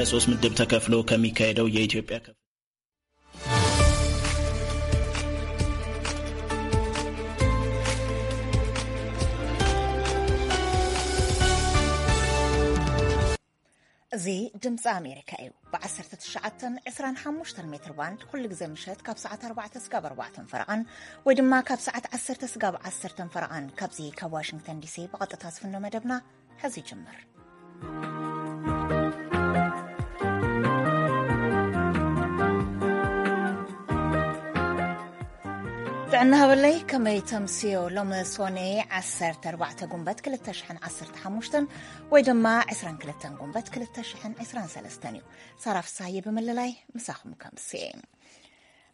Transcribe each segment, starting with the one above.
ለሶስት ምድብ ተከፍሎ ከሚካሄደው የኢትዮጵያ ከፍ- እዚ ድምፂ ኣሜሪካ እዩ። ብ19፣ 25 ሜትር ባንድ ኩሉ ግዜ ምሸት ካብ ሰዓት ኣርባዕተ ስጋብ ኣርባዕተ ፈረቓን ወይ ድማ ካብ ሰዓት ዓሰርተ ስጋብ ዓሰርተ ፈረቓን ካብዚ ካብ ዋሽንግተን ዲሲ ብቐጥታ ዝፍኖ መደብና ሕዚ ይጅምር። ጥዕና ሃበለይ፣ ከመይ ተምስዮ? ሎሚ ሶኔ ዓሰርተ ኣርባዕተ ጉንበት ክልተ ሽሕን ዓሰርተ ሓሙሽተን ወይ ድማ ዕስራን ክልተን ጉንበት ክልተ ሽሕን ዕስራን ሰለስተን እዩ። ሳራ ፍሳሃየ ብምልላይ ምሳኹም ከምስየ።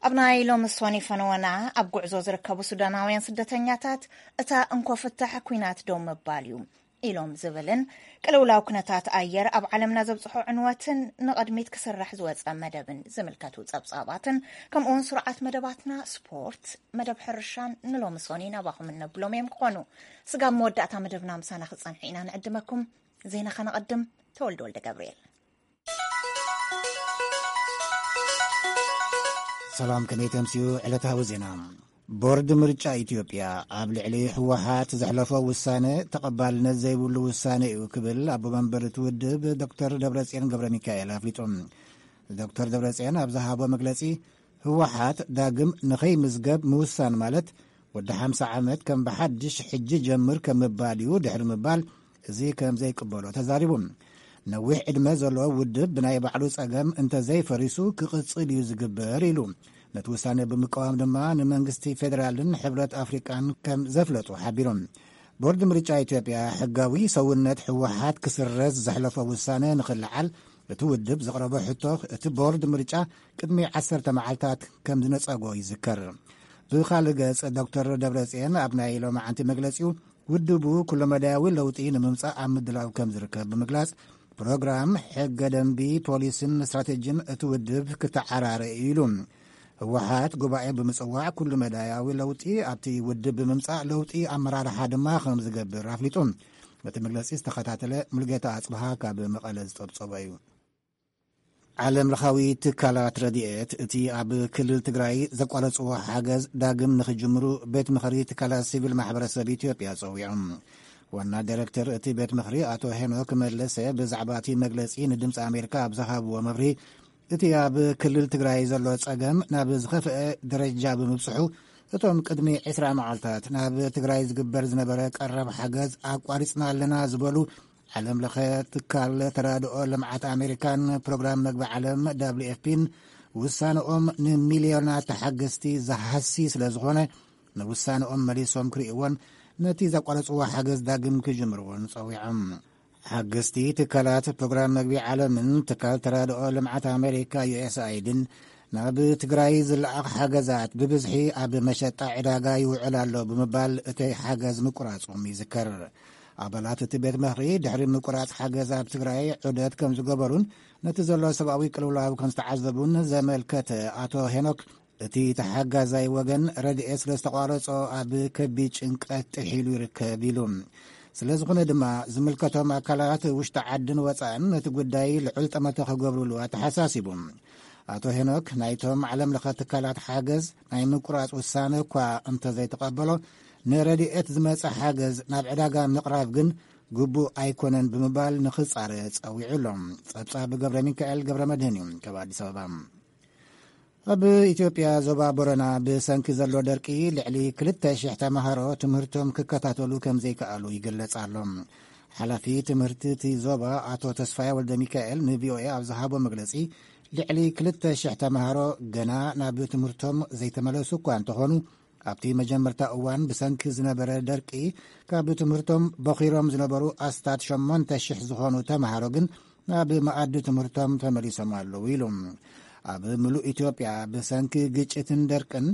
ኣብ ናይ ሎሚ ሶኒ ፈነወና፣ ኣብ ጉዕዞ ዝርከቡ ሱዳናውያን ስደተኛታት እታ እንኮ ፍታሕ ኲናት ደው ምባል እዩ ኢሎም ዝብልን ቅልውላው ኩነታት ኣየር ኣብ ዓለምና ዘብፅሖ ዕንወትን ንቕድሚት ክስራሕ ዝወፀ መደብን ዝምልከቱ ፀብፃባትን ከምኡውን ስሩዓት መደባትና ስፖርት፣ መደብ ሕርሻን ንሎሚ ሶኒ ናባኹም እነብሎም እዮም ክኾኑ። ስጋብ መወዳእታ መደብና ምሳና ክፀንሑ ኢና ንዕድመኩም። ዜና ከነቐድም። ተወልደ ወልደ ገብርኤል። ሰላም፣ ከመይ ተምስዩ? ዕለታዊ ዜና። ቦርድ ምርጫ ኢትዮጵያ ኣብ ልዕሊ ህወሓት ዘሕለፎ ውሳነ ተቐባልነት ዘይብሉ ውሳነ እዩ ክብል ኣቦ መንበር እቲ ውድብ ዶክተር ደብረጽዮን ገብረ ሚካኤል ኣፍሊጡ። ዶክተር ደብረጽዮን ኣብ ዝሃቦ መግለጺ፣ ህወሓት ዳግም ንኸይምዝገብ ምውሳን ማለት ወዲ ሓምሳ ዓመት ከም ብሓድሽ ሕጂ ጀምር ከም ምባል እዩ ድሕሪ ምባል፣ እዚ ከም ዘይቅበሎ ተዛሪቡ። ነዊሕ ዕድመ ዘለዎ ውድብ ብናይ ባዕሉ ጸገም እንተዘይፈሪሱ ክቕጽል እዩ ዝግበር ኢሉ። ነቲ ውሳነ ብምቅዋም ድማ ንመንግስቲ ፌደራልን ሕብረት ኣፍሪቃን ከም ዘፍለጡ ሓቢሮም። ቦርድ ምርጫ ኢትዮጵያ ሕጋዊ ሰውነት ህወሓት ክስረዝ ዘሕለፎ ውሳነ ንኽልዓል እቲ ውድብ ዘቕረቦ ሕቶ እቲ ቦርድ ምርጫ ቅድሚ ዓሰርተ መዓልታት ከም ዝነጸጎ ይዝከር። ብኻልእ ገጽ ዶክተር ደብረጽዮን ኣብ ናይ ሎማዓንቲ መግለጺኡ ውድቡ ኩለመዳያዊ ለውጢ ንምምጻእ ኣብ ምድላው ከም ዝርከብ ብምግላጽ ፕሮግራም፣ ሕገ ደንቢ፣ ፖሊስን ስትራቴጂን እቲ ውድብ ክተዓራረ እዩ ኢሉ። ህወሓት ጉባኤ ብምጽዋዕ ኩሉ መዳያዊ ለውጢ ኣብቲ ውድብ ብምምጻእ ለውጢ ኣመራርሓ ድማ ከም ዝገብር ኣፍሊጡ። እቲ መግለጺ ዝተኸታተለ ሙሉጌታ ኣጽብሃ ካብ መቐለ ዝጠብጸቦ እዩ። ዓለም ለኻዊ ትካላት ረድኤት እቲ ኣብ ክልል ትግራይ ዘቋረጽዎ ሓገዝ ዳግም ንኽጅምሩ ቤት ምኽሪ ትካላት ሲቪል ማሕበረሰብ ኢትዮጵያ ጸዊዖም። ዋና ዳይሬክተር እቲ ቤት ምኽሪ ኣቶ ሄኖክ መለሰ ብዛዕባ እቲ መግለጺ ንድምፂ ኣሜሪካ ኣብ ዝሃብዎ መብርሂ፣ እቲ ኣብ ክልል ትግራይ ዘሎ ጸገም ናብ ዝኸፍአ ደረጃ ብምብጽሑ፣ እቶም ቅድሚ ዕስራ መዓልታት ናብ ትግራይ ዝግበር ዝነበረ ቀረብ ሓገዝ ኣቋሪጽና ኣለና ዝበሉ ዓለም ለኸ ትካል ተራድኦ ልምዓት ኣሜሪካን ፕሮግራም መግቢ ዓለም ደብሊው ኤፍ ፒን ውሳነኦም ንሚልዮናት ተሓገዝቲ ዝሃሲ ስለ ዝኾነ፣ ንውሳነኦም መሊሶም ክርእይዎን ነቲ ዘቋረጽዎ ሓገዝ ዳግም ክጅምርዎን ጸዊዖም። ሓገዝቲ ትካላት ፕሮግራም መግቢ ዓለምን ትካል ተራድኦ ልምዓት ኣሜሪካ ዩ ኤስ ኣይድን ናብ ትግራይ ዝለኣኽ ሓገዛት ብብዝሒ ኣብ መሸጣ ዕዳጋ ይውዕል ኣሎ ብምባል እቲ ሓገዝ ምቁራጾም ይዝከር። ኣባላት እቲ ቤት ምኽሪ ድሕሪ ምቁራጽ ሓገዝ ኣብ ትግራይ ዑደት ከም ዝገበሩን ነቲ ዘሎ ሰብኣዊ ቅልውላው ከም ዝተዓዘቡን ዘመልከተ ኣቶ ሄኖክ፣ እቲ ተሓጋዛይ ወገን ረድኤት ስለ ዝተቋረጾ ኣብ ከቢድ ጭንቀት ጥሒሉ ይርከብ ኢሉ። ስለ ዝኾነ ድማ ዝምልከቶም ኣካላት ውሽጢ ዓድን ወጻእን ነቲ ጉዳይ ልዑል ጠመተ ክገብሩሉ ኣተሓሳሲቡ። ኣቶ ሄኖክ ናይቶም ዓለም ለኸ ትካላት ሓገዝ ናይ ምቁራጽ ውሳነ እኳ እንተዘይተቐበሎ፣ ንረድኤት ዝመጸ ሓገዝ ናብ ዕዳጋ ምቕራብ ግን ግቡእ ኣይኮነን ብምባል ንኽጻረ ጸዊዑ ኣሎ። ጸብጻብ ገብረ ሚካኤል ገብረ መድህን እዩ ካብ ኣዲስ ኣበባ። ኣብ ኢትዮጵያ ዞባ ቦረና ብሰንኪ ዘሎ ደርቂ ልዕሊ ክልተ ሽሕ ተምሃሮ ትምህርቶም ክከታተሉ ከም ዘይከኣሉ ይግለጽ ኣሎ። ሓላፊ ትምህርቲ እቲ ዞባ ኣቶ ተስፋየ ወልደ ሚካኤል ንቪኦኤ ኣብ ዝሃቦ መግለጺ፣ ልዕሊ ክልተ ሽሕ ተምሃሮ ገና ናብ ትምህርቶም ዘይተመለሱ እኳ እንተኾኑ፣ ኣብቲ መጀመርታ እዋን ብሰንኪ ዝነበረ ደርቂ ካብ ትምህርቶም በኺሮም ዝነበሩ ኣስታት ሸሞንተ ሽሕ ዝኾኑ ተምሃሮ ግን ናብ መኣዲ ትምህርቶም ተመሊሶም ኣለዉ ኢሉ። ኣብ ምሉእ ኢትዮጵያ ብሰንኪ ግጭትን ደርቅን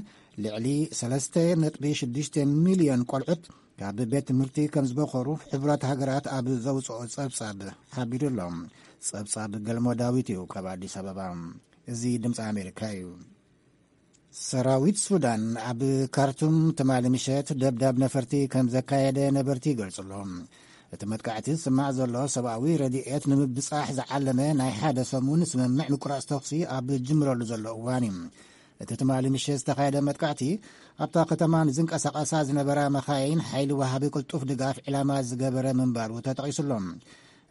ልዕሊ ሰለስተ ነጥቢ ሽዱሽተ ሚልዮን ቆልዑት ካብ ቤት ትምህርቲ ከም ዝበኾሩ ሕቡራት ሃገራት ኣብ ዘውፅኦ ጸብጻብ ሓቢሩ ኣሎ። ጸብጻብ ገልሞ ዳዊት እዩ ካብ ኣዲስ ኣበባ። እዚ ድምፂ ኣሜሪካ እዩ። ሰራዊት ሱዳን ኣብ ካርቱም ትማሊ ምሸት ደብዳብ ነፈርቲ ከም ዘካየደ ነበርቲ ይገልጹ ኣለዉ። እቲ መጥቃዕቲ ዝስማዕ ዘሎ ሰብኣዊ ረድኤት ንምብጻሕ ዝዓለመ ናይ ሓደ ሰሙን ስምምዕ ምቁራጽ ተኹሲ ኣብ ዝጅምረሉ ዘሎ እዋን እዩ። እቲ ትማሊ ምሸት ዝተኻየደ መጥቃዕቲ ኣብታ ከተማ ንዝንቀሳቐሳ ዝነበራ መኻይን ሓይሊ ወሃቢ ቅልጡፍ ድጋፍ ዕላማ ዝገበረ ምንባሩ ተጠቒሱሎም።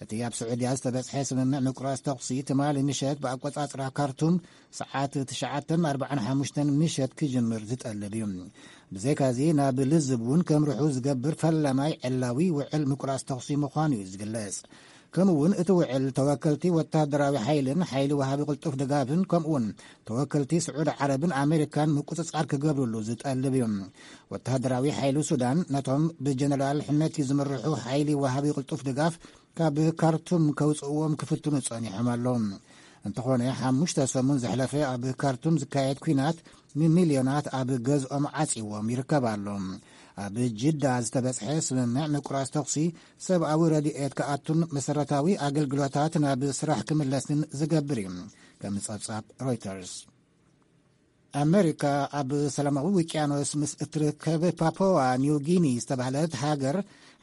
እቲ ኣብ ስዑድያ ዝተበጽሐ ስምምዕ ምቁራጽ ተኹሲ ትማሊ ምሸት ብኣቆጻጽራ ካርቱም ሰዓት ትሽዓተ ኣርባዓን ሓሙሽተን ምሸት ክጅምር ዝጠልብ እዩ። ብዘይካዚ ናብ ልዝብ እውን ከምርሑ ዝገብር ፈላማይ ዕላዊ ውዕል ምቁራጽ ተኹሲ ምዃኑ እዩ ዝግለጽ። ከምኡ እውን እቲ ውዕል ተወከልቲ ወታደራዊ ሓይልን ሓይሊ ወሃቢ ቅልጡፍ ድጋፍን ከምኡ እውን ተወከልቲ ስዑድ ዓረብን ኣሜሪካን ምቁጽጻር ክገብርሉ ዝጠልብ እዩ። ወታደራዊ ሓይሊ ሱዳን ነቶም ብጀነራል ሕመቲ ዝምርሑ ሓይሊ ወሃቢ ቅልጡፍ ድጋፍ ካብ ካርቱም ከውፅእዎም ክፍትኑ ጸኒሖም ኣለዉ። እንተኾነ ሓሙሽተ ሰሙን ዝሕለፈ ኣብ ካርቱም ዝካየድ ኲናት ንሚልዮናት ኣብ ገዝኦም ዓጺዎም ይርከብ ኣሎ። ኣብ ጅዳ ዝተበጽሐ ስምምዕ ምቁራጽ ተኹሲ ሰብኣዊ ረድኤት ክኣቱን መሰረታዊ ኣገልግሎታት ናብ ስራሕ ክምለስን ዝገብር እዩ። ከም ጸብጻብ ሮይተርስ። ኣመሪካ ኣብ ሰላማዊ ውቅያኖስ ምስ እትርከብ ፓፖዋ ኒው ጊኒ ዝተባህለት ሃገር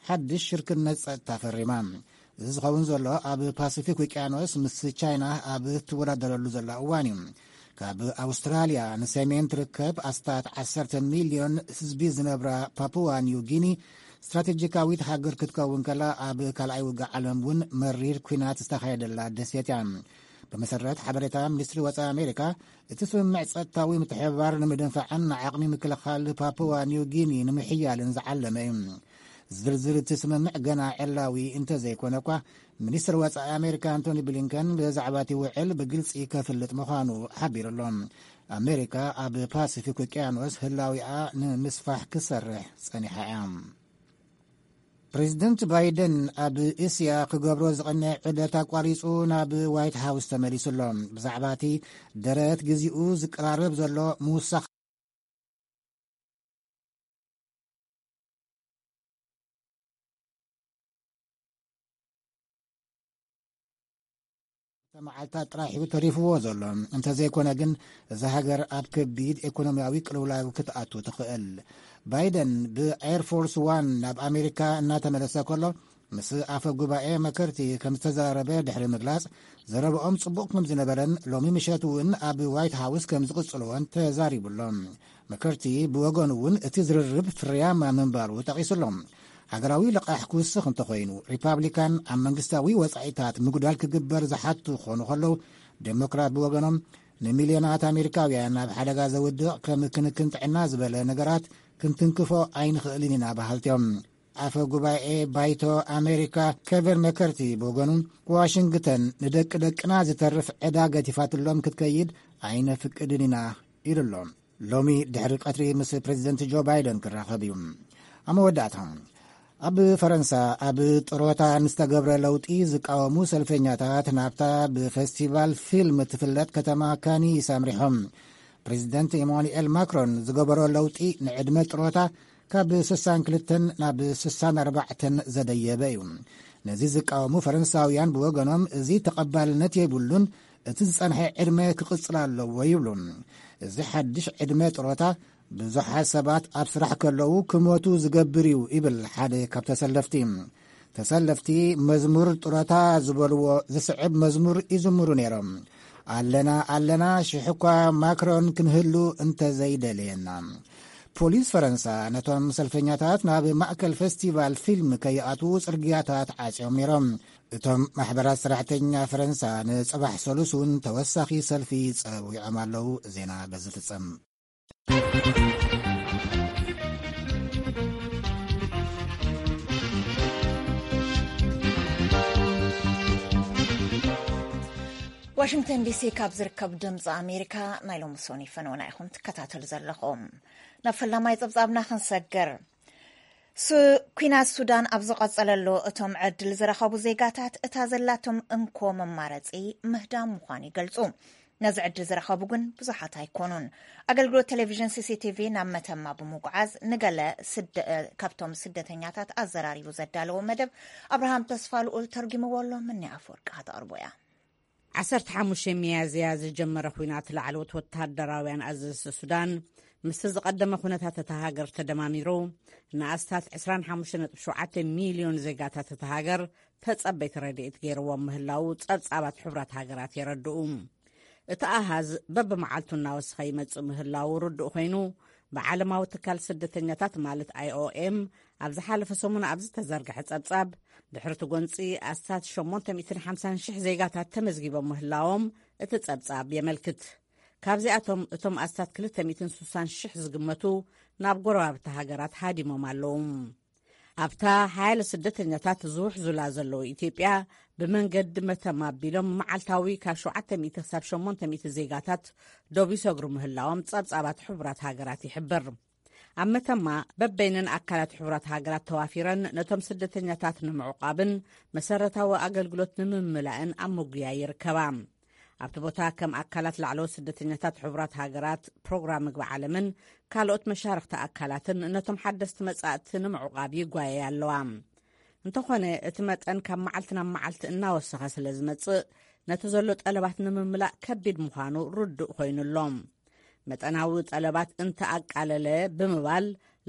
ሓድሽ ሽርክነት ጸጥታ ፈሪማ። እዚ ዝኸውን ዘሎ ኣብ ፓሲፊክ ውቅያኖስ ምስ ቻይና ኣብ ትወዳደረሉ ዘላ እዋን እዩ። ካብ ኣውስትራልያ ንሰሜን ትርከብ ኣስታት ዓሰርተ ሚልዮን ህዝቢ ዝነብራ ፓፑዋ ኒው ጊኒ ስትራቴጂካዊት ሃገር ክትከውን ከላ ኣብ ካልኣይ ውግእ ዓለም እውን መሪር ኲናት ዝተኻየደላ ደሴት እያ። ብመሰረት ሓበሬታ ሚኒስትሪ ወፃኢ ኣሜሪካ እቲ ስምምዕ ጸጥታዊ ምትሕብባር ንምድንፋዕን ንዓቕሚ ምክልኻል ፓፑዋ ኒው ጊኒ ንምሕያልን ዝዓለመ እዩ። ዝርዝር እቲ ስምምዕ ገና ዕላዊ እንተዘይኮነ እኳ፣ ሚኒስትር ወጻኢ ኣሜሪካ ኣንቶኒ ብሊንከን ብዛዕባ እቲ ውዕል ብግልጺ ከፍልጥ ምዃኑ ሓቢሩ ኣሎ። ኣሜሪካ ኣብ ፓሲፊክ ውቅያኖስ ህላዊኣ ንምስፋሕ ክሰርሕ ጸኒሓ እያ። ፕሬዚደንት ባይደን ኣብ እስያ ክገብሮ ዝቐነየ ዑደት ኣቋሪጹ ናብ ዋይት ሃውስ ተመሊሱ ኣሎ። ብዛዕባ እቲ ደረት ግዚኡ ዝቀራረብ ዘሎ ምውሳኽ መዓልታት ጥራሕ እዩ ተሪፍዎ ዘሎ። እንተዘይኮነ ግን እዛ ሃገር ኣብ ከቢድ ኢኮኖሚያዊ ቅልውላው ክትኣቱ ትኽእል። ባይደን ብኤር ፎርስ ዋን ናብ ኣሜሪካ እናተመለሰ ከሎ ምስ ኣፈ ጉባኤ መከርቲ ከም ዝተዘራረበ ድሕሪ ምግላጽ፣ ዘረብኦም ጽቡቕ ከም ዝነበረን ሎሚ ምሸት እውን ኣብ ዋይት ሃውስ ከም ዝቕጽልዎን ተዛሪቡ ኣሎ። መከርቲ ብወገኑ እውን እቲ ዝርርብ ፍርያማ ምንባሩ ጠቒሱ ኣሎ። ሃገራዊ ልቓሕ ክውስኽ እንተኾይኑ፣ ሪፓብሊካን ኣብ መንግስታዊ ወጻኢታት ምጉዳል ክግበር ዝሓቱ ክኾኑ ከለዉ፣ ዴሞክራት ብወገኖም ንሚልዮናት ኣሜሪካውያን ኣብ ሓደጋ ዘውድቕ ከም ክንክን ጥዕና ዝበለ ነገራት ክንትንክፎ ኣይንኽእልን ኢና በሃልቲ እዮም። ኣፈ ጉባኤ ባይቶ ኣሜሪካ ኬቨን መከርቲ ብወገኑ፣ ዋሽንግተን ንደቂ ደቅና ዝተርፍ ዕዳ ገቲፋትሎም ክትከይድ ኣይነፍቅድን ኢና ኢሉ ኣሎ። ሎሚ ድሕሪ ቀትሪ ምስ ፕሬዚደንት ጆ ባይደን ክራኸብ እዩ። ኣብ መወዳእታ፣ ኣብ ፈረንሳ ኣብ ጥሮታ ንዝተገብረ ለውጢ ዝቃወሙ ሰልፈኛታት ናብታ ብፌስቲቫል ፊልም እትፍለጥ ከተማ ካኒስ ኣምሪሖም። ፕሬዚደንት ኢማኑኤል ማክሮን ዝገበሮ ለውጢ ንዕድመ ጥሮታ ካብ ስሳን ክልተን ናብ ስሳን ኣርባዕተን ዘደየበ እዩ። ነዚ ዝቃወሙ ፈረንሳውያን ብወገኖም፣ እዚ ተቐባልነት የብሉን፣ እቲ ዝጸንሐ ዕድመ ክቕጽል ኣለዎ ይብሉ። እዚ ሓድሽ ዕድመ ጥሮታ ብዙሓት ሰባት ኣብ ስራሕ ከለዉ ክሞቱ ዝገብር እዩ ይብል ሓደ ካብ ተሰለፍቲ። ተሰለፍቲ መዝሙር ጥሮታ ዝበልዎ ዝስዕብ መዝሙር ይዝምሩ ነይሮም። ኣለና ኣለና ሽሕ እኳ ማክሮን ክንህሉ እንተዘይደለየና። ፖሊስ ፈረንሳ ነቶም ሰልፈኛታት ናብ ማእከል ፌስቲቫል ፊልም ከይኣትዉ ጽርግያታት ዓጽዮም ነይሮም። እቶም ማሕበራት ሰራሕተኛ ፈረንሳ ንጽባሕ ሰሉስ እውን ተወሳኺ ሰልፊ ጸዊዖም ኣለዉ። ዜና በዚ ፍጸም። ዋሽንግተን ዲሲ ካብ ዝርከብ ድምፂ ኣሜሪካ ናይ ሎሚ ሶኒ ፈነወና ኢኹም ትከታተሉ ዘለኹም። ናብ ፈላማይ ጸብጻብና ክንሰግር። ሱ-፣ ኲናት ሱዳን ኣብ ዝቐጸለሉ፣ እቶም ዕድል ዝረኸቡ ዜጋታት እታ ዘላቶም እንኮ መማረጺ ምህዳም ምዃኑ ይገልጹ። ነዚ ዕድል ዝረኸቡ ግን ብዙሓት ኣይኮኑን። ኣገልግሎት ቴሌቪዥን ሲ ሲ ቲ ቪ ናብ መተማ ብምጉዓዝ ንገለ ስደ-፣ ካብቶም ስደተኛታት ኣዘራሪቡ ዘዳለዎ መደብ ኣብርሃም ተስፋ ልኡል ተርጉምዎ ኣሎ። ምኒ ኣፈወርቂ ከተቕርቦ እያ። ዓሰርተ ሓሙሽተ ሚያዝያ ዝጀመረ ኲናት ላዕለዎት ወተሃደራውያን ኣዘዝቲ ሱዳን ምስቲ ዝቐደመ ኩነታት እታ ሃገር ተደማሚሩ፣ ንኣስታት ዕስራን ሓሙሽተ ነጥቢ ሸውዓተ ሚልዮን ዜጋታት እታ ሃገር ተጸበይቲ ረድኤት ገይርዎም ምህላዉ ጸብጻባት ሕቡራት ሃገራት የረድኡ። እቲ ኣሃዝ በብመዓልቱ እናወሰኸ ይመጽእ ምህላዉ ርዱእ ኮይኑ፣ ብዓለማዊ ትካል ስደተኛታት ማለት ኣይ ኦ ኤም ኣብ ዝሓለፈ ሰሙን ኣብ ዝተዘርግሐ ጸብጻብ፣ ድሕሪ እቲ ጎንጺ ኣስታት ሸሞንተ ሚእትን ሓምሳን ሽሕ ዜጋታት ተመዝጊቦም ምህላዎም እቲ ጸብጻብ የመልክት። ካብዚኣቶም እቶም ኣስታት ክልተ ሚእትን ስሳን ሽሕ ዝግመቱ ናብ ጎረባብቲ ሃገራት ሃዲሞም ኣለዉ። ኣብታ ሓያለ ስደተኛታት ዝውሕዙላ ዘለዉ ኢትዮጵያ፣ ብመንገዲ መተማ ኣቢሎም መዓልታዊ ካብ ሸውዓተ ሚእቲ ክሳብ ሸሞንተ ሚእቲ ዜጋታት ዶብ ይሰግሩ ምህላዎም ጸብጻባት ሕቡራት ሃገራት ይሕብር። ኣብ መተማ በበይነን ኣካላት ሕቡራት ሃገራት ተዋፊረን ነቶም ስደተኛታት ንምዕቋብን መሰረታዊ ኣገልግሎት ንምምላእን ኣብ ምጉያይ ይርከባ። ኣብቲ ቦታ ከም ኣካላት ላዕለዎት ስደተኛታት ሕቡራት ሃገራት፣ ፕሮግራም ምግቢ ዓለምን ካልኦት መሻርኽቲ ኣካላትን ነቶም ሓደስቲ መጻእቲ ንምዕቋብ ይጓየያ ኣለዋ። እንተኾነ፣ እቲ መጠን ካብ መዓልቲ ናብ መዓልቲ እናወሰኸ ስለ ዝመጽእ፣ ነቲ ዘሎ ጠለባት ንምምላእ ከቢድ ምዃኑ ርዱእ ኮይኑ ኣሎ። መጠናዊ ጠለባት እንተኣቃለለ ብምባል፣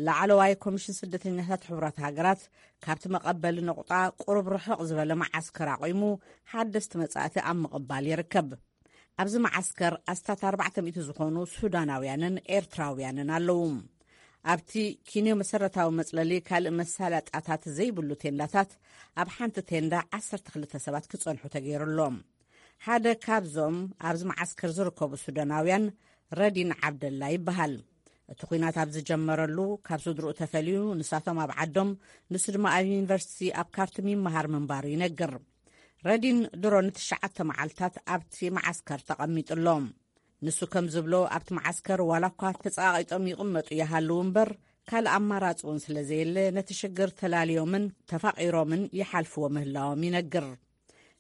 ላዕለዋይ ኮሚሽን ስደተኛታት ሕቡራት ሃገራት ካብቲ መቐበሊ ነቑጣ ቁሩብ ርሕቕ ዝበለ መዓስከር ኣቑሙ ሓደስቲ መጻእቲ ኣብ ምቕባል ይርከብ። ኣብዚ መዓስከር ኣስታት ኣርባዕተ ሚእቲ ዝኾኑ ሱዳናውያንን ኤርትራውያንን ኣለዉ። ኣብቲ ኪንዮ መሰረታዊ መጽለሊ ካልእ መሳለጣታት ዘይብሉ ቴንዳታት፣ ኣብ ሓንቲ ቴንዳ ዓሰርተ ክልተ ሰባት ክጸንሑ ተገይሩሎም። ሓደ ካብዞም ኣብዚ መዓስከር ዝርከቡ ሱዳናውያን ረዲን ዓብደላ ይበሃል። እቲ ኲናት ኣብ ዝጀመረሉ፣ ካብ ስድርኡ ተፈልዩ፣ ንሳቶም ኣብ ዓዶም፣ ንሱ ድማ ኣብ ዩኒቨርሲቲ ኣብ ካርቱም ይመሃር ምንባሩ ይነግር። ረዲን ድሮ ንትሽዓተ መዓልታት ኣብቲ መዓስከር ተቐሚጡ ኣሎ። ንሱ ከም ዝብሎ፣ ኣብቲ መዓስከር ዋላ እኳ ተጸቓቒጦም ይቕመጡ ይሃልዉ እምበር፣ ካልእ ኣማራጺ እውን ስለ ዘየለ፣ ነቲ ሽግር ተላልዮምን ተፋቒሮምን ይሓልፍዎ ምህላዎም ይነግር።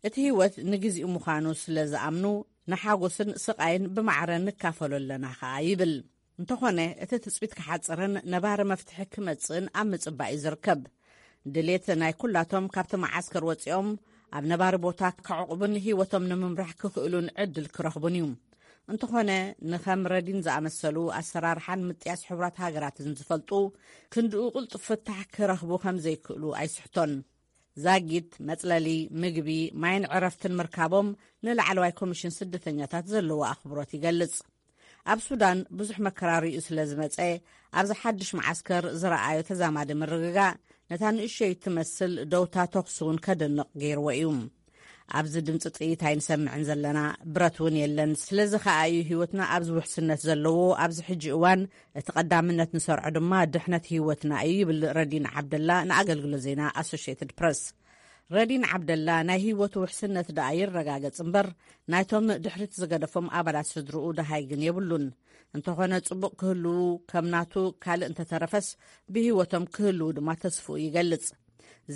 እቲ ህይወት ንግዚኡ ምዃኑ ስለ ዝኣምኑ፣ ንሓጎስን ስቓይን ብማዕረ ንካፈሎ ኣለና ኸኣ ይብል። እንተኾነ፣ እቲ ትጽቢት ክሓጽርን ነባሪ መፍትሒ ክመጽእን ኣብ ምጽባይ እዩ ዝርከብ። ድሌት ናይ ኩላቶም ካብቲ መዓስከር ወጺኦም ኣብ ነባሪ ቦታ ከዕቑቡን ህይወቶም ንምምራሕ ክኽእሉን ዕድል ክረኽቡን እዩ። እንተኾነ፣ ንኸም ረዲን ዝኣመሰሉ ኣሰራርሓን ምጥያስ ሕቡራት ሃገራትን ዝፈልጡ፣ ክንድኡ ቅልጡፍ ፍታሕ ክረኽቡ ከም ዘይክእሉ ኣይስሕቶን። ዛጊት፣ መጽለሊ፣ ምግቢ፣ ማይን ዕረፍትን ምርካቦም ንላዕለዋይ ኮሚሽን ስደተኛታት ዘለዎ ኣኽብሮት ይገልጽ። ኣብ ሱዳን ብዙሕ መከራ ርእዩ ስለ ዝመጸ፣ ኣብዚ ሓድሽ መዓስከር ዝረኣዮ ተዛማዲ ምርግጋእ፣ ነታ ንእሸይ እትመስል ደውታ ተኹሲ እውን ከደንቕ ገይርዎ እዩ። ኣብዚ ድምጺ ጥይት ኣይንሰምዕን ዘለና፣ ብረት እውን የለን። ስለዚ ኸኣ እዩ ህይወትና ኣብዚ ውሕስነት ዘለዎ። ኣብዚ ሕጂ እዋን እቲ ቀዳምነት ንሰርዖ ድማ ድሕነት ህይወትና እዩ፣ ይብል ረዲን ዓብደላ ንኣገልግሎት ዜና ኣሶሽየትድ ፕረስ። ረዲን ዓብደላ፣ ናይ ህይወቱ ውሕስነት ደኣ ይረጋገጽ እምበር፣ ናይቶም ድሕሪት ዝገደፎም ኣባላት ስድርኡ ደሃይ ግን የብሉን። እንተኾነ፣ ጽቡቕ ክህልዉ፣ ከም ናቱ ካልእ እንተተረፈስ፣ ብህይወቶም ክህልዉ ድማ ተስፍኡ ይገልጽ።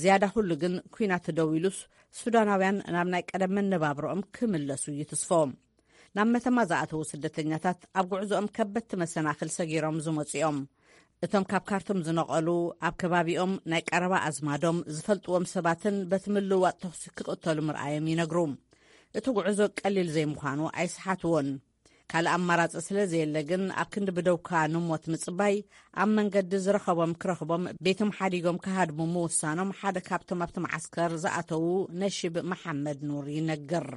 ዝያዳ ኩሉ ግን፣ ኲናት ደው ኢሉስ፣ ሱዳናውያን ናብ ናይ ቀደም መነባብሮኦም ክምለሱ እዩ ትስፎ። ናብ መተማ ዝኣተዉ ስደተኛታት፣ ኣብ ጉዕዞኦም ከበድቲ መሰናኽል ሰጊሮም ዝመጹ እዮም። እቶም ካብ ካርቱም ዝነቐሉ፣ ኣብ ከባቢኦም ናይ ቀረባ ኣዝማዶም፣ ዝፈልጥዎም ሰባትን በቲ ምልውዋጥ ተኹሲ ክቕተሉ ምርኣዮም ይነግሩ። እቲ ጉዕዞ ቀሊል ዘይምዃኑ ኣይስሓትዎን። ካልእ ኣማራጺ ስለ ዘየለ ግን፣ ኣብ ክንዲ ብደውካ ንሞት ምጽባይ፣ ኣብ መንገዲ ዝረኸቦም ክረኽቦም፣ ቤቶም ሓዲጎም ክሃድሙ ምውሳኖም ሓደ ካብቶም ኣብቲ መዓስከር ዝኣተዉ ነሺብ መሓመድ ኑር ይነግር።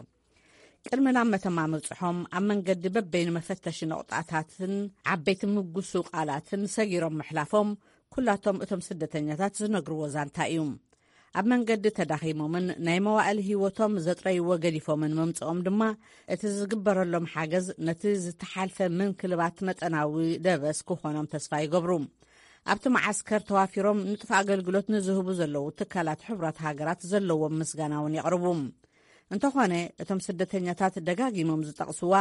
ቅድሚ ናብ መተማ ምብጽሖም፣ ኣብ መንገዲ በበይኑ መፈተሺ ነቑጣታትን ዓበይቲ ምጉስቃላትን ሰጊሮም ምሕላፎም፣ ኩላቶም እቶም ስደተኛታት ዝነግርዎ ዛንታ እዩ። ኣብ መንገዲ ተዳኺሞምን ናይ መዋእል ህይወቶም ዘጥረይዎ ገዲፎምን ምምጽኦም ድማ፣ እቲ ዝግበረሎም ሓገዝ ነቲ ዝተሓልፈ ምንክልባት መጠናዊ ደበስ ክኾኖም ተስፋ ይገብሩ። ኣብቲ መዓስከር ተዋፊሮም ንጡፍ ኣገልግሎት ንዝህቡ ዘለዉ ትካላት ሕቡራት ሃገራት ዘለዎም ምስጋና እውን የቕርቡ። እንተኾነ፣ እቶም ስደተኛታት ደጋጊሞም ዝጠቕስዋ፣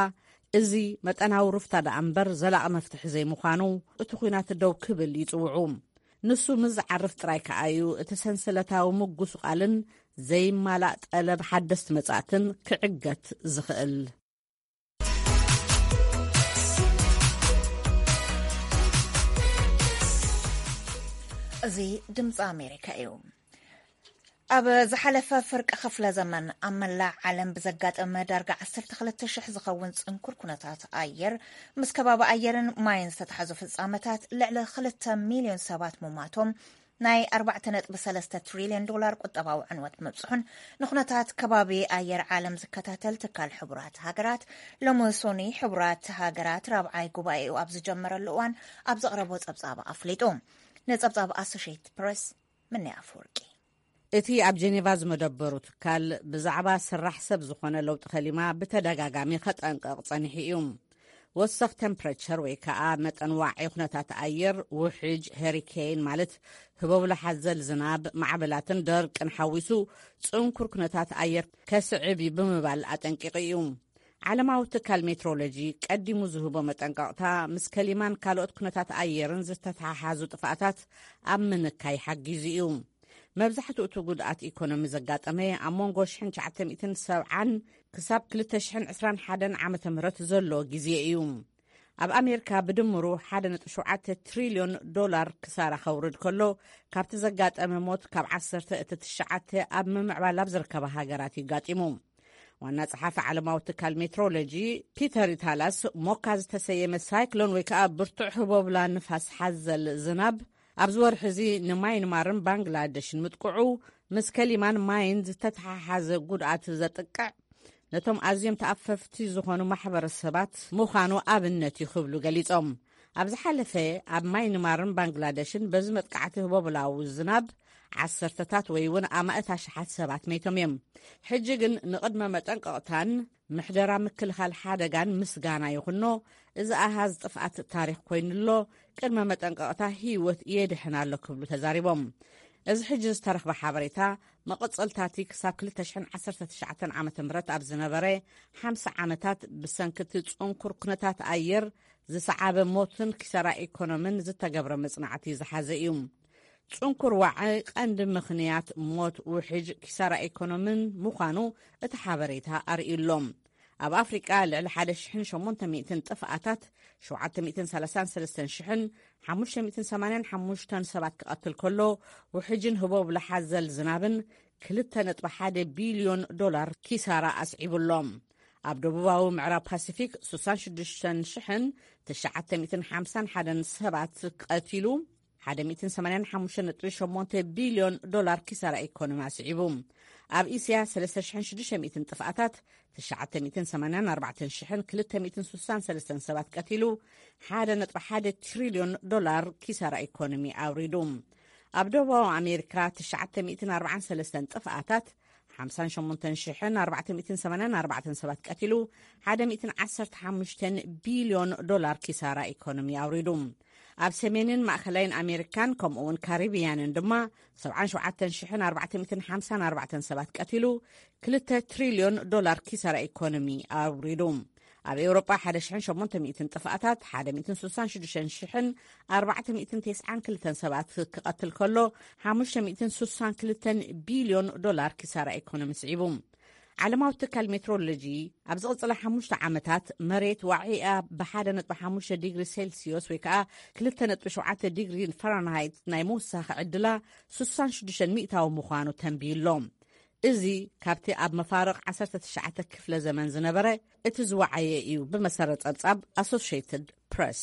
እዚ መጠናዊ ሩፍታ ደኣ እምበር ዘላቒ መፍትሒ ዘይምዃኑ፣ እቲ ኲናት ደው ክብል ይጽውዑ። ንሱ ምስ ዝዓርፍ ጥራይ ከኣ እዩ እቲ ሰንሰለታዊ ምጉስቓልን ዘይማላእ ጠለብ ሓደስቲ መጻእትን ክዕገት ዝኽእል። እዚ ድምፂ ኣሜሪካ እዩ። ኣብ ዝሓለፈ ፍርቂ ክፍለ ዘመን ኣብ መላእ ዓለም ብዘጋጠመ ዳርጋ ዓሰርተ ክልተ ሽሕ ዝኸውን ጽንኩር ኩነታት ኣየር፣ ምስ ከባቢ ኣየርን ማይን ዝተተሓዙ ፍጻመታት ልዕሊ ክልተ ሚልዮን ሰባት ምሟቶም፣ ናይ ኣርባዕተ ነጥቢ ሰለስተ ትሪልዮን ዶላር ቁጠባዊ ዕንወት ምብጽሑን፣ ንኩነታት ከባቢ ኣየር ዓለም ዝከታተል ትካል ሕቡራት ሃገራት፣ ሎሚ ሶኒ ሕቡራት ሃገራት ራብዓይ ጉባኤኡ ኣብ ዝጀመረሉ እዋን ኣብ ዘቕረቦ ጸብጻብ ኣፍሊጡ። ንጸብጻብ ኣሶሽየትድ ፕረስ፣ ምንያ ኣፈወርቂ። እቲ ኣብ ጀኔቫ ዝመደበሩ ትካል ብዛዕባ ስራሕ ሰብ ዝኾነ ለውጢ ከሊማ ብተደጋጋሚ ከጠንቀቕ ጸኒሑ እዩ። ወሰኽ ቴምፕሬቸር ወይ ከኣ መጠን ዋዒ ኩነታት ኣየር፣ ውሕጅ፣ ሄሪኬን ማለት ህቦብላ ሓዘል ዝናብ፣ ማዕበላትን ደርቅን ሓዊሱ ጽንኩር ኩነታት ኣየር ከስዕብ እዩ ብምባል ኣጠንቂቑ እዩ። ዓለማዊ ትካል ሜትሮሎጂ ቀዲሙ ዝህቦ መጠንቀቕታ ምስ ከሊማን ካልኦት ኩነታት ኣየርን ዝተተሓሓዙ ጥፍኣታት ኣብ ምንካይ ሓጊዙ እዩ። መብዛሕትኡ እቲ ጉድኣት ኢኮኖሚ ዘጋጠመ ኣብ መንጎ ሽሕን ትሽዓተ ሚእትን ሰብዓን ክሳብ ክልተ ሽሕን ዕስራን ሓደን ዓመተ ምህረት ዘሎ ግዜ እዩ። ኣብ ኣሜሪካ ብድምሩ ሓደ ነጥቢ ሸውዓተ ትሪልዮን ዶላር ክሳራ ከውርድ ከሎ፣ ካብቲ ዘጋጠመ ሞት ካብ ዓሰርተ እቲ ትሽዓተ ኣብ ምምዕባል ኣብ ዝርከባ ሃገራት እዩ ጋጢሙ። ዋና ጸሓፊ ዓለማዊ ትካል ሜትሮሎጂ ፒተር ታላስ፣ ሞካ ዝተሰየመ ሳይክሎን ወይ ከኣ ብርቱዕ ህቦብላ ንፋስ ሓዘል ዝናብ ኣብዚ ወርሒ እዚ ንማይንማርን ባንግላደሽን ምጥቅዑ ምስ ከሊማን ማይን ዝተተሓሓዘ ጉድኣት ዘጥቅዕ፣ ነቶም ኣዝዮም ተኣፈፍቲ ዝኾኑ ማሕበረሰባት ምዃኑ ኣብነት እዩ ክብሉ ገሊጾም። ኣብ ዝሓለፈ ኣብ ማይንማርን ባንግላደሽን በዚ መጥቃዕቲ ህቦብላዊ ዝናብ ዓሰርተታት ወይ እውን ኣማእት ኣሽሓት ሰባት መይቶም እዮም። ሕጂ ግን ንቕድመ መጠንቀቕታን ምሕደራ ምክልኻል ሓደጋን ምስጋና ይኹኖ፣ እዚ ኣሃዝ ጥፍኣት ታሪኽ ኮይኑ ኣሎ፣ ቅድመ መጠንቀቕታ ህይወት የድሕን ኣሎ ክብሉ ተዛሪቦም። እዚ ሕጂ ዝተረኽበ ሓበሬታ መቐጸልታቲ ክሳብ ክልተ ሽሕን ዓሰርተ ትሽዓተን ዓመተ ምህረት ኣብ ዝነበረ ሓምሳ ዓመታት ብሰንኪ እቲ ጽንኩር ኩነታት ኣየር ዝሰዓበ ሞትን ኪሳራ ኢኮኖምን ዝተገብረ መጽናዕቲ ዝሓዘ እዩ። ጽንኩር ዋዒ ቀንዲ ምኽንያት ሞት፣ ውሕጅ፣ ኪሳራ ኢኮኖምን ምዃኑ እቲ ሓበሬታ ኣርእዩ ኣሎ። ኣብ ኣፍሪቃ ልዕሊ ሓደ ሽሕን ሸሞንተ ሚእትን ጥፍኣታት፣ ሸውዓተ ሚእትን ሰላሳን ሰለስተን ሽሕን ሓሙሽተ ሚእትን ሰማንያን ሓሙሽተን ሰባት ክቐትል ከሎ፣ ውሕጅን ህቦብላ ሓዘል ዝናብን ክልተ ነጥቢ ሓደ ቢልዮን ዶላር ኪሳራ ኣስዒቡ ኣሎ። ኣብ ደቡባዊ ምዕራብ ፓሲፊክ ሱሳን ሽዱሽተን ሽሕን ትሽዓተ ሚእትን ሓምሳን ሓደን ሰባት ቀቲሉ፣ ሓደ ሚእትን ሰማንያን ሓሙሽተ ነጥቢ ሸሞንተ ቢልዮን ዶላር ኪሳራ ኢኮኖሚ ኣስዒቡ። ኣብ እስያ ሰለስተ ሽሕን ሽዱሽተ ሚእትን ጥፍኣታት፣ ትሽዓተ ሚእትን ሰማንያን ኣርባዕተን ሽሕን ክልተ ሚእትን ሱሳን ሰለስተን ሰባት ቀቲሉ፣ ሓደ ነጥቢ ሓደ ትሪልዮን ዶላር ኪሳራ ኢኮኖሚ ኣውሪዱ። ኣብ ደቡባዊ ኣሜሪካ ትሽዓተ ሚእትን ኣርባዓን ሰለስተን ጥፍኣታት፣ ሓምሳን ሸሞንተን ሽሕን ኣርባዕተ ሚእትን ሰማንያን ኣርባዕተን ሰባት ቀቲሉ፣ ሓደ ሚእትን ዓሰርተ ሓሙሽተን ቢልዮን ዶላር ኪሳራ ኢኮኖሚ ኣውሪዱ። ኣብ ሰሜንን ማእከላይን ኣሜሪካን ከምኡ እውን ካሪብያንን ድማ ሰብዓን ሸውዓተን ሽሕን ኣርባዕተ ሚእትን ሓምሳን ኣርባዕተን ሰባት ቀቲሉ፣ ክልተ ትሪልዮን ዶላር ኪሳራ ኢኮኖሚ ኣውሪዱ። ኣብ ኤውሮጳ ሓደ ሽሕን ሸሞንተ ሚእትን ጥፍኣታት፣ ሓደ ሚእትን ሱሳን ሽዱሽተን ሽሕን ኣርባዕተ ሚእትን ተስዓን ክልተን ሰባት ክቐትል ከሎ፣ ሓሙሽተ ሚእትን ሱሳን ክልተን ቢልዮን ዶላር ኪሳራ ኢኮኖሚ ስዒቡ። ዓለማዊ ትካል ሜትሮሎጂ፣ ኣብ ዝቕጽላ ሓሙሽተ ዓመታት መሬት ዋዒኣ ብሓደ ነጥቢ ሓሙሽተ ዲግሪ ሴልሲዮስ ወይ ከኣ ክልተ ነጥቢ ሸውዓተ ዲግሪ ፈራንሃይት ናይ ምውሳኽ ዕድላ ሱሳን ሽዱሽተን ሚእታዊ ምዃኑ ተንብዩ ኣሎ። እዚ ካብቲ ኣብ መፋርቕ ዓሰርተ ትሽዓተ ክፍለ ዘመን ዝነበረ እቲ ዝወዓየ እዩ፣ ብመሰረት ጸብጻብ ኣሶሽየትድ ፕረስ።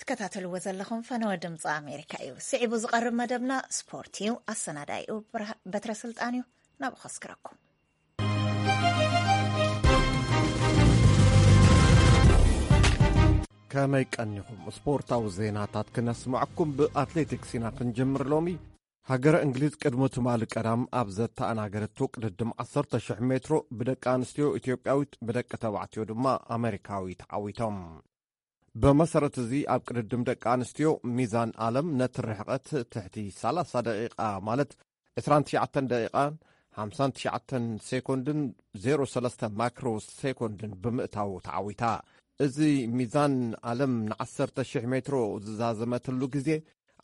ትከታተልዎ ዘለኹም ፈነወ ድምፂ ኣሜሪካ እዩ። ስዒቡ ዝቐርብ መደብና ስፖርት እዩ። ኣሰናዳኢኡ ብርሃ-፣ በትረ ስልጣን እዩ። ናብኡ ከስክረኩም። ከመይ ቀኒኹም? ስፖርታዊ ዜናታት ክነስምዐኩም። ብኣትሌቲክስ ኢና ክንጅምር ሎሚ። ሃገረ እንግሊዝ ቅድሚ ትማሊ ቀዳም ኣብ ዘተኣናገረቶ ቅድድም ዓሰርተ ሽሕ ሜትሮ ብደቂ ኣንስትዮ ኢትዮጵያዊት፣ ብደቂ ተባዕትዮ ድማ ኣሜሪካዊ ተዓዊቶም። ብመሰረት እዚ ኣብ ቅድድም ደቂ ኣንስትዮ ሚዛን ዓለም ነቲ ርሕቐት ትሕቲ ሰላሳ ደቂቓ ማለት ዕስራን ትሽዓተን ደቂቓን ሓምሳን ትሽዓተን ሴኮንድን ዜሮ ሰለስተ ማክሮ ሴኮንድን ብምእታው ተዓዊታ። እዚ ሚዛን ዓለም ንዓሰርተ ሽሕ ሜትሮ ዝዛዘመትሉ ግዜ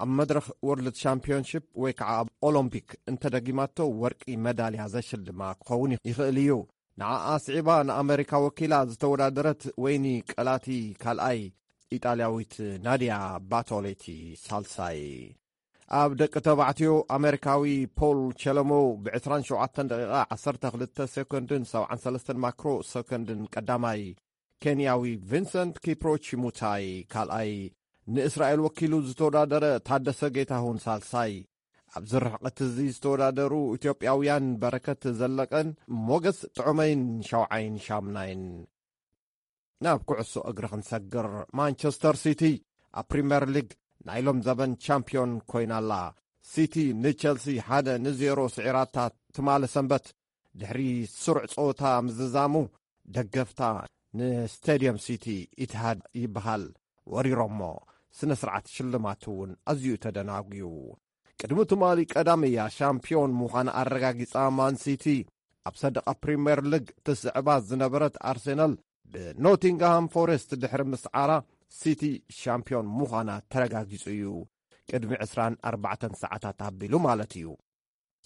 ኣብ መድረኽ ወርልድ ሻምፒዮንሺፕ ወይ ከዓ ኣብ ኦሎምፒክ እንተደጊማቶ ወርቂ መዳልያ ዘሽልማ ክኸውን ይኽእል እዩ። ንዓኣ ስዒባ ንኣመሪካ ወኪላ ዝተወዳደረት ወይኒ ቀላቲ ካልኣይ ኢጣልያዊት ናድያ ባቶሌቲ ሳልሳይ። ኣብ ደቂ ተባዕትዮ፣ ኣሜሪካዊ ፖል ቸለሞ ብ27 ደቂቓ 12 ሰኮንድን 73 ማክሮ ሰኮንድን ቀዳማይ፣ ኬንያዊ ቪንሰንት ኪፕሮቺ ሙታይ ካልኣይ፣ ንእስራኤል ወኪሉ ዝተወዳደረ ታደሰ ጌታሁን ሳልሳይ፣ ኣብዚ ርሕቀት እዚ ዝተወዳደሩ ኢትዮጵያውያን በረከት ዘለቀን ሞገስ ጥዑመይን ሻውዓይን ሻምናይን። ናብ ኩዕሶ እግሪ ክንሰግር፣ ማንቸስተር ሲቲ ኣብ ፕሪምየር ሊግ ናይ ሎም ዘበን ቻምፒዮን ኮይና ኣላ። ሲቲ ንቸልሲ ሓደ ንዜሮ ስዒራታ ትማሊ ሰንበት፣ ድሕሪ ስሩዕ ጸወታ ምዝዛሙ፣ ደገፍታ ንስቴድየም ሲቲ ኢትሃድ ይበሃል ወሪሮሞ። ስነ ስርዓት ሽልማት እውን ኣዝዩ ተደናጉዩ። ቅድሚ ትማሊ ቀዳም እያ ሻምፒዮን ምዃና ኣረጋጊጻ። ማን ሲቲ ኣብ ሰደቓ ፕሪምየር ሊግ ትስዕባ ዝነበረት ኣርሴናል ብኖቲንግሃም ፎሬስት ድሕሪ ምስዓራ፣ ሲቲ ሻምፒዮን ምዃና ተረጋጊጹ እዩ። ቅድሚ 24 ሰዓታት ኣቢሉ ማለት እዩ።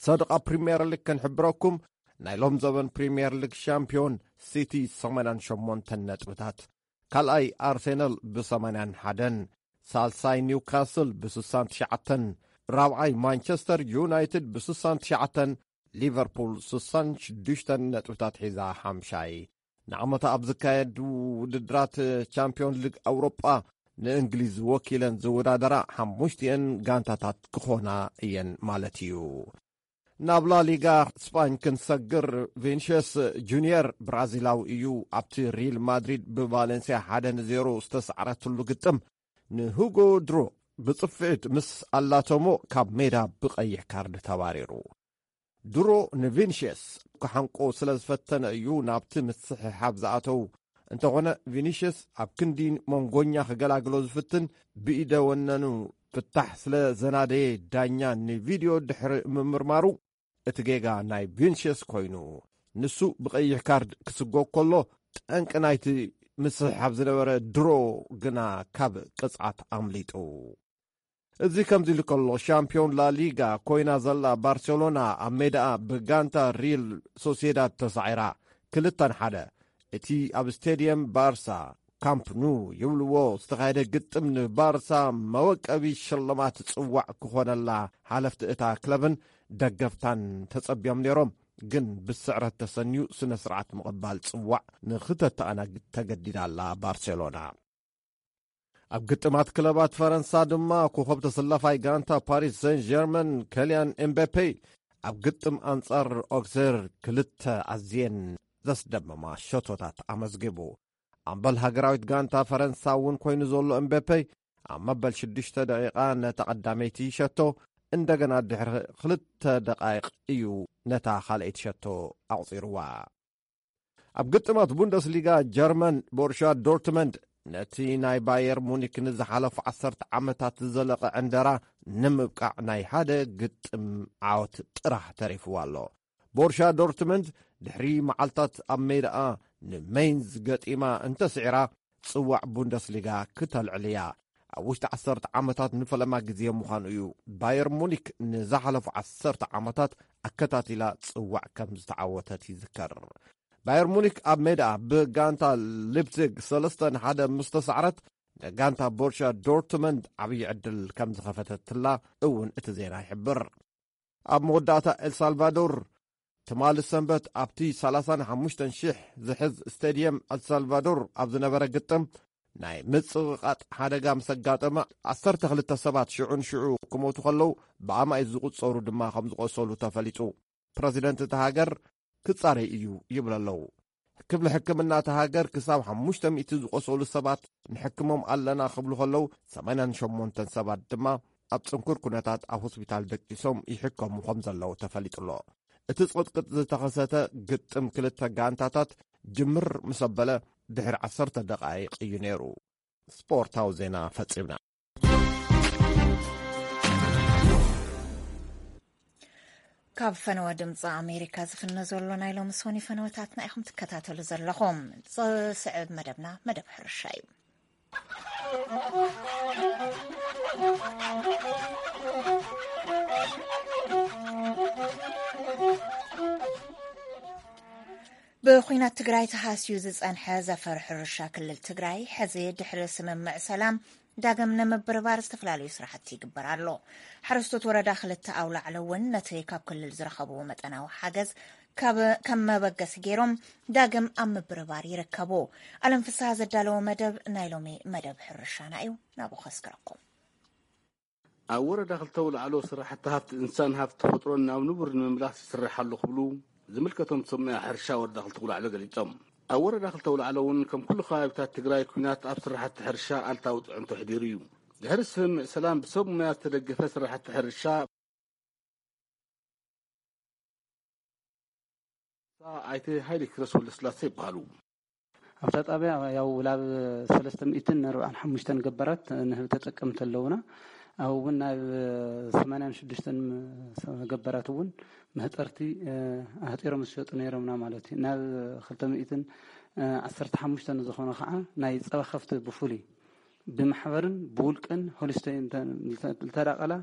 ሰደቓ ፕሪምየር ሊግ ክንሕብረኩም፣ ናይ ሎም ዘበን ፕሪምየር ሊግ ሻምፒዮን ሲቲ 88 ነጥብታት፣ ካልኣይ ኣርሴናል ብ81፣ ሳልሳይ ኒውካስል ብ69፣ ራብዓይ ማንቸስተር ዩናይትድ ብ69፣ ሊቨርፑል 66 ነጥብታት ሒዛ ሓምሻይ። ንዓመታ ኣብ ዝካየዱ ውድድራት ቻምፒዮን ሊግ ኣውሮጳ ንእንግሊዝ ወኪለን ዝወዳደራ ሓሙሽቲኤን ጋንታታት ክኾና እየን ማለት እዩ። ናብ ላሊጋ ስጳኝ ክንሰግር፣ ቪንሽስ ጁኒየር ብራዚላዊ እዩ። ኣብቲ ሪል ማድሪድ ብቫሌንሲያ ሓደ ንዜሮ ዝተሰዕረትሉ ግጥም፣ ንሁጎ ድሮ ብጽፍዒት ምስ ኣላተሞ ካብ ሜዳ ብቐይሕ ካርድ ተባሪሩ። ድሮ ንቪንሽስ ክሓንቆ ስለ ዝፈተነ እዩ ናብቲ ምስሕሓብ ዝኣተው። እንተኾነ፣ ቪኒሽስ ኣብ ክንዲ መንጎኛ ክገላግሎ ዝፍትን፣ ብኢደ ወነኑ ፍታሕ ስለ ዘናደየ፣ ዳኛ ንቪድዮ ድሕሪ ምምርማሩ፣ እቲ ጌጋ ናይ ቪንሽስ ኮይኑ፣ ንሱ ብቐይሕ ካርድ ክስጎግ ከሎ፣ ጠንቂ ናይቲ ምስሕሓብ ዝነበረ ድሮ ግና ካብ ቅጽዓት ኣምሊጡ። እዚ ከምዚ ኢሉ ከሎ፣ ሻምፒዮን ላሊጋ ኮይና ዘላ ባርሴሎና ኣብ ሜዳኣ ብጋንታ ሪል ሶሲዳድ ተሳዒራ፣ ክልተ ንሓደ። እቲ ኣብ ስቴድየም ባርሳ፣ ካምፕ ኑ ይብልዎ፣ ዝተኻየደ ግጥም ንባርሳ መወቀቢ ሽልማት ጽዋዕ ክኾነላ ሓለፍቲ እታ ክለብን ደገፍታን ተጸብዮም ነይሮም። ግን ብስዕረት ተሰንዩ ስነ ስርዓት ምቕባል ጽዋዕ ንኽተተኣናግድ ተገዲዳ ኣላ ባርሴሎና። ኣብ ግጥማት ክለባት ፈረንሳ ድማ፣ ኮኸብ ተሰላፋይ ጋንታ ፓሪስ ሰን ጀርመን ከልያን ኤምባፔ ኣብ ግጥም ኣንጻር ኦክሴር ክልተ ኣዝየን ዘስደመማ ሸቶታት ኣመዝጊቡ። ኣምበል ሃገራዊት ጋንታ ፈረንሳ እውን ኮይኑ ዘሎ ኤምባፔ፣ ኣብ መበል ሽዱሽተ ደቂቓ ነታ ቀዳመይቲ ሸቶ፣ እንደገና ድሕሪ ክልተ ደቃይቕ እዩ ነታ ካልኣይቲ ሸቶ ኣቑጺርዋ። ኣብ ግጥማት ቡንደስሊጋ ጀርመን፣ ቦሩሻ ዶርትመንድ ነቲ ናይ ባየር ሙኒክ ንዝሓለፉ ዓሰርተ ዓመታት ዝዘለቐ ዕንደራ ንምብቃዕ ናይ ሓደ ግጥም ዓወት ጥራሕ ተሪፍዋ ኣሎ። ቦሩሻ ዶርትመንድ ድሕሪ መዓልታት ኣብ ሜዳኣ ንሜይንዝ ገጢማ እንተስዒራ፣ ጽዋዕ ቡንደስሊጋ ክተልዕል እያ። ኣብ ውሽጢ ዓሰርተ ዓመታት ንፈለማ ግዜ ምዃኑ እዩ። ባየር ሙኒክ ንዝሓለፉ ዓሰርተ ዓመታት ኣከታቲላ ጽዋዕ ከም ዝተዓወተት ይዝከር። ባየር ሙኒክ ኣብ ሜዳ ብጋንታ ሊፕዚግ ሰለስተ ንሓደ ምስ ተሳዕረት፣ ንጋንታ ቦሩሻ ዶርትመንድ ዓብዪ ዕድል ከም ዝኸፈተትላ እውን እቲ ዜና ይሕብር። ኣብ መወዳእታ ኤልሳልቫዶር፣ ትማሊ ሰንበት ኣብቲ ሰላሳን ሓሙሽተን ሽሕ ዝሕዝ ስቴድየም ኤልሳልቫዶር ኣብ ዝነበረ ግጥም፣ ናይ ምጽቕቓጥ ሓደጋ ምስ ኣጋጠመ፣ ዓሰርተ ክልተ ሰባት ሽዑ ንሽዑ ክሞቱ ከለዉ፣ ብኣማኢት ዝቑጸሩ ድማ ከም ዝቖሰሉ ተፈሊጡ። ፕረዚደንት እታ ሃገር ክጻረይ እዩ ይብሉ ኣለዉ። ክፍሊ ሕክምና እታ ሃገር ክሳብ ሓሙሽተ ሚእቲ ዝቖሰሉ ሰባት ንሕክሞም ኣለና ክብሉ ከለዉ፣ ሰማንያን ሸሞንተን ሰባት ድማ ኣብ ጽንኩር ኩነታት ኣብ ሆስፒታል ደቂሶም ይሕከሙ ከም ዘለዉ ተፈሊጡ ኣሎ። እቲ ጽቕጥቅጥ ዝተኸሰተ ግጥም ክልተ ጋንታታት ጅምር ምስ ኣበለ ድሕሪ ዓሰርተ ደቓይቕ እዩ ነይሩ። ስፖርታዊ ዜና ፈጺምና። ካብ ፈነወ ድምፂ ኣሜሪካ ዝፍነ ዘሎ ናይ ሎሚ ሶኒ ፈነወታትና ኢኹም ትከታተሉ ዘለኹም። ዝስዕብ መደብና መደብ ሕርሻ እዩ። ብኹናት ትግራይ ተሃስዩ ዝጸንሐ ዘፈር ሕርሻ ክልል ትግራይ፣ ሕዚ ድሕሪ ስምምዕ ሰላም ዳግም ንምብርባር ዝተፈላለዩ ስራሕቲ ይግበር ኣሎ። ሓረስቶት ወረዳ ክልተ ኣውላዕሎ እውን ነቲ ካብ ክልል ዝረኸብዎ መጠናዊ ሓገዝ ካብ፣ ከም መበገሲ ገይሮም ዳግም ኣብ ምብርባር ይርከቡ። ኣለም ፍስሃ ዘዳለዎ መደብ ናይ ሎሚ መደብ ሕርሻና እዩ። ናብኡ ከስክረኩም። ኣብ ወረዳ ክልተ ኣውላዕሎ ስራሕቲ ሃፍቲ እንስሳን ሃፍቲ ተፈጥሮን ናብ ንቡር ንምምላስ ይስራሕ ኣሎ ክብሉ ዝምልከቶም ሰብ ሞያ ሕርሻ ወረዳ ክልተ ኣውላዕሎ ገሊጾም። ኣብ ወረዳ ክልተ ኣውላዕሎ እውን ከም ኩሉ ከባቢታት ትግራይ፣ ኲናት ኣብ ስራሕቲ ሕርሻ ኣልታዊ ፅዕንቶ ኣሕዲሩ እዩ። ድሕሪ ስምምዕ ሰላም ብሰብ ሞያ ዝተደገፈ ስራሕቲ ሕርሻ ኣይተ ሃይለ ኪሮስ ወልደስላሴ ይበሃሉ። ኣብታ ጣብያ ያው ላብ ሰለስተ ሚእትን ኣርባዓን ሓሙሽተን ገባራት ንህቢ ተጠቀምቲ ኣለውና። ኣብ እውን ናብ ሰማንያን ሽዱሽተን ገባራት እውን መህጠርቲ ኣህጢሮም ዝሸጡ ነይሮምና ማለት እዩ። ናብ ክልተ ሚእትን ዓሰርተ ሓሙሽተን ዝኾነ ከዓ ናይ ፀባ ከፍቲ ብፍሉይ ብማሕበርን ብውልቅን ሆልስቴን እንተ-፣ እንተዳቀላ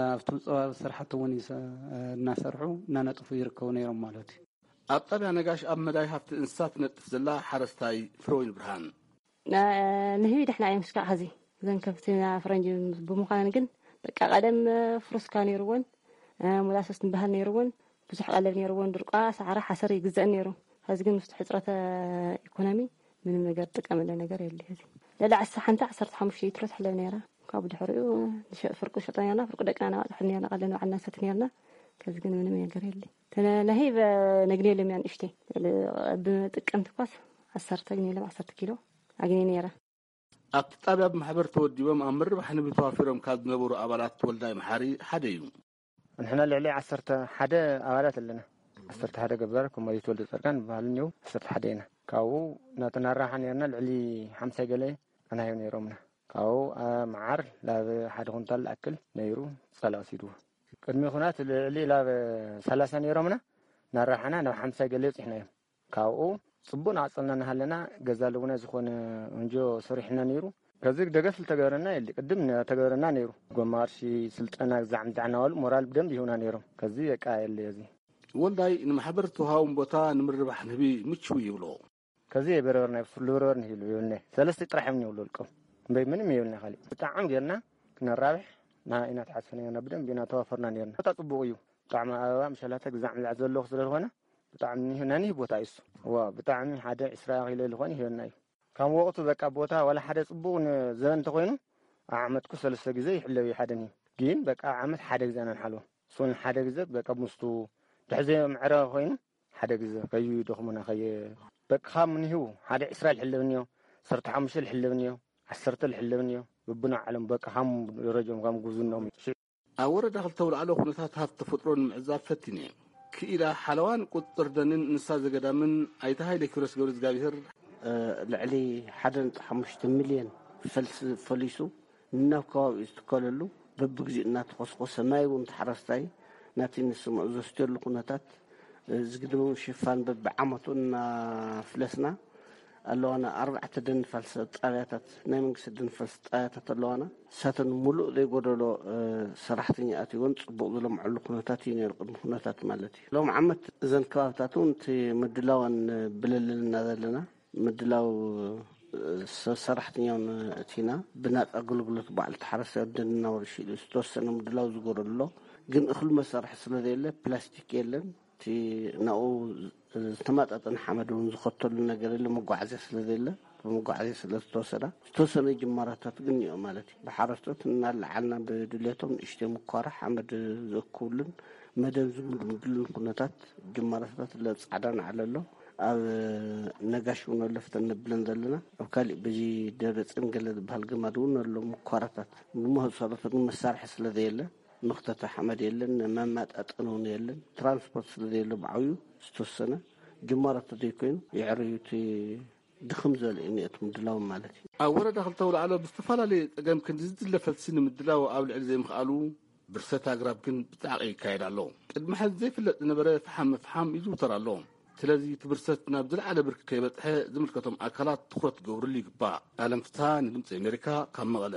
ኣብቲ ፀባ ስራሕቲ እውን ይሰ-፣ እናሰርሑ እናነጥፉ ይርከቡ ነይሮም ማለት እዩ። ኣብ ጣብያ ነጋሽ ኣብ መዳይ ሃፍቲ እንስሳት ትነጥፍ ዘላ ሓረስታይ ፍረወይኒ ብርሃን። ንህቢ ደሕና እዮም እስካዕ ኸዚ። እዘን ከብቲ ፈረንጂ ብምዃነን ግን በቃ ቀደም ፍሩስካ ነይርወን፣ ሞላሰስ ንበሃል ነይርወን፣ ብዙሕ ቀለብ ነይርወን፣ ድርቋ፣ ሳዕሪ፣ ሓሰር ይግዘእን ነይሩ። ኸዚ ግን ምስቲ ሕፅረተ ኢኮኖሚ ምንም ነገር ጥቀመለ ነገር የለ። ኸዚ ልዕሊ ዓሰርተ ሓንቲ ዓሰርተ ሓሙሽተ ሊትሮ ትሕለብ ነይራ። ካብ ድሕሪኡ ንሸ-፣ ፍርቁ ሸጠ ነርና፣ ፍርቁ ደቅና ነባፅሑ ነርና፣ ቀለብ ንባዕልና ንሰቲ ነርና። ከዚ ግን ምንም ነገር የለ። ተነ-፣ ነሂ በ-፣ ነግኔ ለሚያ ንእሽተይ። ብጥቅምቲ ኳስ ዓሰርተ ግኔ ለም ዓሰርተ ኪሎ ኣግኔ ነይረ። ኣብቲ ጣብያ ብማሕበር ተወዲቦም ኣብ ምርባሕ ንቢ ተዋፊሮም ካብ ዝነበሩ ኣባላት ወልዳይ መሓሪ ሓደ እዩ። ንሕና ልዕሊ ዓሰርተ ሓደ ኣባላት ኣለና። ዓሰርተ ሓደ ገባር፣ ኮማሪት ወልደ ጸርቃን ዝበሃሉ እኒው፣ ዓሰርተ ሓደ ኢና። ካብኡ እናተናራሓ ነርና፣ ልዕሊ ሓምሳ ገለ ኣናህዩ ነይሮምና። ካብኡ፣ አ፣ መዓር ናብ ሓደ ኩንታል ዝኣክል ነይሩ፣ ጸላ ወሲድዎ። ቅድሚ ኩናት ልዕሊ ናብ ሰላሳ ነይሮምና፣ ናራሓና ናብ ሓምሳ ገለ በጺሕና እዮም። ካብኡ ጽቡቕ ናቐጸልና እናሃለና፣ ገዛ ኣለውና ዝኾነ ወንጆ ሰሪሕና ነይሩ። ከዚ ደገፍ ዝተገበረና የለ፣ ቅድም ተገበረና ነይሩ። ጎማ ቅርሺ፣ ስልጠና፣ ግዛዕ ምዛዕ እናበሉ ሞራል ብደንብ ይህቡና ነይሮም። ከዚ በቃ የለ እዚ። ወልዳይ ንማሕበር ዝተውሃቦም ቦታ ንምርባሕ ንህቢ ምችው ይብሎ። ከዚ የበረበርና፣ ብፍሉ በረበር ንህቢ ይብልነ። ሰለስተ ጥራሕ እዮም ይብሉ ውልቆም። እምበይ ምንም የብልና ካሊእ። ብጣዕሚ ጌርና ክነራብሕ ና ኢና ተሓስፈና ኔርና፣ ብደንብ ኢና ተዋፈርና ኔርና። ቦታ ጽቡቕ እዩ። ብጣዕሚ ኣበባ፣ ምሸላተ፣ ግዛዕ ምዛዕ ዘለዎ ስለ ዝኾነ ብጣዕሚ ናኒህ ቦታ እዩ እሱ። ዋ፣ ብጣዕሚ ሓደ ዕስራ ኪሎ ዝኾነ ይህበና እዩ። ካብ ወቕቱ በቃ ቦታ ዋላ ሓደ ጽቡቕ ን-፣ ዘበን እንተኾይኑ፣ ኣብ ዓመትኩ ሰለስተ ግዜ ይሕለብ እዩ ሓደ ንህቢ። ግን በቃ ኣብ ዓመት ሓደ ግዜ ኢና ንሓልቦ። እሱን ሓደ ግዜ በቃ ምስቱ ድሕዘዮ ምዕረ ኮይኑ ሓደ ግዜ ከይደኽሙና ከየ-፣ በቃ ካብ ንህቡ ሓደ ዕስራ ልሕለብ እኒኦ፣ ዓሰርተ ሓሙሽተ ልሕለብ እኒኦ፣ ዓሰርተ ልሕለብ እኒኦ። በብናይ ዓለም በቃ ከም ደረጃኦም ከም ጉብዝናኦም። ኣብ ወረዳ ክልተ ኣውላዕሎ ኩነታት ሃፍቲ ተፈጥሮ ንምዕዛብ ፈቲነ። ክኢላ ሓለዋን ቁፅፅር ደንን እንስሳ ዘገዳምን ኣይተ ሃይለ ኪሮስ ገብረ እግዚኣብሔር፣ እ፣ ልዕሊ ሓደ ነጥቢ ሓሙሽተ ሚልዮን ፈልሲ ፈሊሱ ናብ ከባቢኡ ዝትከለሉ በብግዚኡ እናተኾስኮሰ ማይ እውን ተሓረስታይ ናቲ ንስምዑ ዘስትየሉ ኩነታት፣ እ፣ ዝግድቦም ሽፋን በብዓመቱ እናፍለስና ኣለዋና። ኣርባዕተ ደንፋልሲ ጣብያታት፣ ናይ መንግስቲ ደንፋልሲ ጣብያታት ኣለዋና። እሳተን ሙሉእ ዘይጎደሎ፣ እ፣ ሰራሕተኛ ኣትይወን ጽቡቕ ዝለምዐሉ ኩነታት እዩ ነይሩ፣ ቅድሚ ኩነታት ማለት እዩ። ሎም ዓመት እዘን ከባብታት እውን እቲ ምድላወን ብለልልና ዘለና ምድላው፣ እ፣ ሰብ ሰራሕተኛውን እቲና ብናጻ ኣገልግሎት ባዕሉ ተሓረስታይ ወደን እናወርሽ ኢሉ ዝተወሰነ ምድላው ዝጎደሎ፣ ግን እኽሊ መሳርሒ ስለ ዘየለ ፕላስቲክ የለን። እቲ ናብኡ ዝተማጣጠነ ሓመድ እውን ዝኸተሉ ነገር የለ፣ መጓዓዝያ ስለ ዘየለ ብመጓዓዝያ ስለ ዝተወሰዳ ዝተወሰነ ጅማራታት ግን እኒኦ ማለት እዩ። ብሓረስቶት እናለዓልና ብድሌቶም ንእሽተይ ምኳራ ሓመድ ዝእክብሉን መደብ ዝምድምድሉን ኩነታት ጅማራታት ለብ ጻዕዳ ንዓለ ኣሎ። ኣብ ነጋሽ እውን ኣለፍተን ነብለን ዘለና። ኣብ ካሊእ በዚ ደብረ ጽዮን ገለ ዝበሃል ገማድ እውን ኣሎ ምኳራታት። ብመሰረቱ ግን መሳርሒ ስለ ዘየለ መኽተቲ ሓመድ የለን፣ መማጣጠኒ እውን የለን። ትራንስፖርት ስለ ዘየለ ብዓብዩ ዝተወሰነ ጅማሮታት ዘይኮይኑ የዕርዩ እቲ ድኽም ዝበለ እዩ ነቲ ምድላው ማለት እዩ። ኣብ ወረዳ ክልተ ኣውላዕሎ ብዝተፈላለየ ጸገም ክንዲ ዝድለ ፈልሲ ንምድላው ኣብ ልዕሊ ዘይምኽኣሉ ብርሰት ኣግራብ ግን ብጻዕቂ ይካየድ ኣሎ። ቅድሚ ሕዚ ዘይፍለጥ ዝነበረ ፈሓም ምፍሓም ይዝውተር ኣሎ። ስለዚ እቲ ብርሰት ናብ ዝለዓለ ብርኪ ከይበጽሐ ዝምልከቶም ኣካላት ትኹረት ክገብርሉ ይግባእ። ኣለም ፍትሃ ንድምፂ ኣሜሪካ ካብ መቐለ።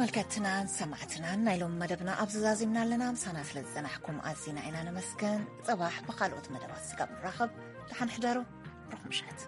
ተመልከትናን ሰማዕትናን፣ ናይ ሎም መደብና ኣብዚ ዛዚምና ኣለና። ምሳና ስለ ዝጸናሕኩም ኣዚና ኢና ነመስገን። ጽባሕ ብኻልኦት መደባት ስጋብ ንራኸብ፣ ደሓን ሕደሩ። ርኹም ምሸት።